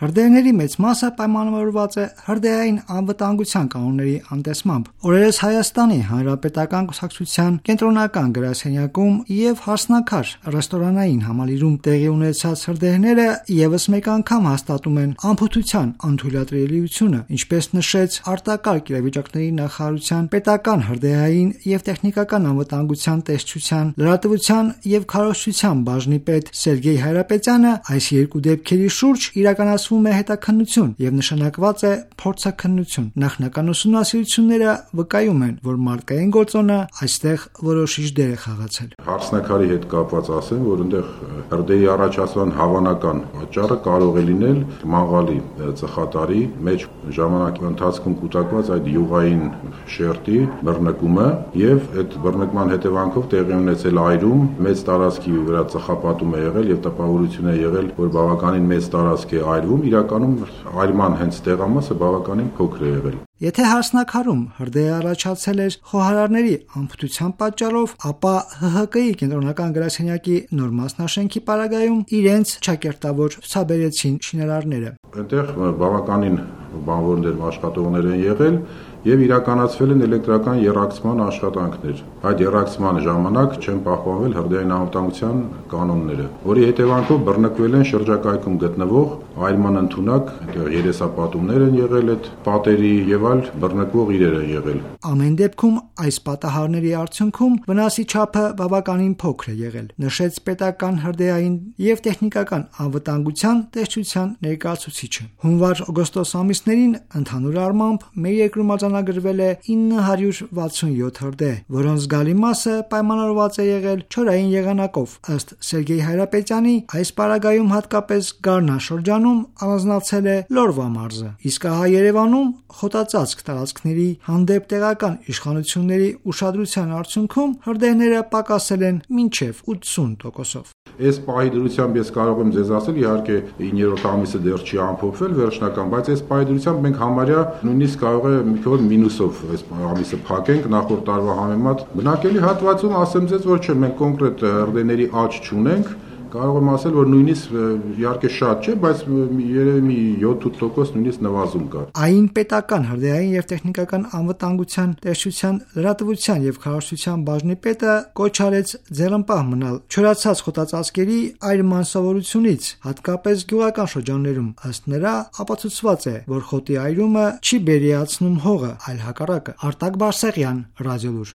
Հրդեհների մեծ մասը պայմանավորված է հրդեհային անվտանգության կանոնների անտեսմամբ։ Օրերս Հայաստանի Հանրապետական Կուսակցության կենտրոնական գրասենյակում եւ Հարսնաքար ռեստորանային համալիրում տեղի ունեցած հրդեհները եւս մեկ անգամ հաստատում են անփութության անթույլատրելիությունը, ինչպես նշեց արտակարգ իրավիճակների նախարարության պետական հրդեհային եւ տեխնիկական անվտանգության տեսչության, լրատվության եւ քարոզչության բաժնի պետ Սերգեյ Հայրապետյանը, այս երկու դեպքերի շուրջ իրականացվում է հետաքննություն եւ նշանակված է փորձաքննություն։ Նախնական ուսումնասիրությունները վկայում են, որ մարդկային գործոնը այստեղ որոշիչ դեր է խաղացել։ Հարսնաքարի հետ կապված ասեմ, որ այնտեղ հրդեհի առաջացման հավանական պատճառը կարող է լինել մաղալի ծխատարի մեջ ժամանակի ընթացքում կուտակված այդ յուղային շերտի բռնկումը եւ այդ բռնկման հետևանքով տեղի ունեցել այրում, մեծ տարածքի վրա ծխապատում է եղել եւ տպավորություն է եղել, որ բավականին մեծ տարածք է այրվում, իրականում այրման հենց տեղամասը բավականին փոքր է եղել։ Եթե Հարսնաքարում հրդեհը առաջացել էր խոհարարների անփութության պատճառով, ապա ՀՀԿ-ի կենտրոնական գրասենյակի նոր մասնաշենքի պարագայում իրենց չակերտավոր ցուցաբերեցին շինարարները։ Այնտեղ բավականին բանվորներ աշխատողներ են եղել եւ իրականացվել են էլեկտրական եռակցման աշխատանքներ։ Այդ եռակցման ժամանակ չեն պահպանվել հրդեհային անվտանգության կանոնները, որի հետևանքով բռնկվել են շրջակայքում գտնվող այրման ընդունակ երեսապատումներ են եղել, այդ պատերի եւ այլ բռնկվող իրեր են եղել։ Ամեն դեպքում այս պատահարների արդյունքում վնասի չափը բավականին փոքր է եղել, նշեց պետական հրդեհային եւ տեխնիկական անվտանգության տեսչության ներկայացուցիչը։ Հունվար-օգոստոս ամիսներին ընդհանուր առմամբ մեր երկրում արձանագրվել է 967 հրդեհ, որոնց զգալի մասը պայմանավորված է եղել չորային եղանակով։ Ըստ Սերգեյ Հայրապետյանի, այս պարագայում հատկապես Գառնա շրջանում առանձնացել է Լորվա մարզը, իսկ ահա Երևանում խոտածածկ տարածքների հանդեպ տեղական իշխանությունների ուշադրության արդյունքում հրդեհները պակասել են մինչև 80%-ով։ Այս պահի դրությամբ ես կարող եմ ձեզ ասել, իհարկե 9-րդ ամիսը դեռ չի ամփոփվել վերջնական, բայց այս պահի դրությամբ մենք համարյա նույնիսկ կարող է մի քիչ մինուսով այս ամիսը փակենք նախորդ տարվա համեմատ։ Բնակելի հատվածում ասեմ ձեզ, որ չէ, մենք կոնկրետ հրդեհների աճ չունենք։ Կարող եմ ասել, որ նույնիսկ իհարկե շատ չէ, բայց երևի մի 7-8% նույնիսկ նվազում կա։ Այն պետական հրդեհային եւ տեխնիկական անվտանգության տեսչության, լրատվության եւ քարոզչության բաժնի պետը կոչ արեց ձեռնպահ մնալ չորացած խոտածածկերի այրման սովորությունից, հատկապես գյուղական շրջաններում։ Ըստ նրա, ապացուցված է, որ խոտի այրումը չի բերիացնում հողը, այլ հակառակը։ Արտակ Բարսեղյան, Ռադիոլուր։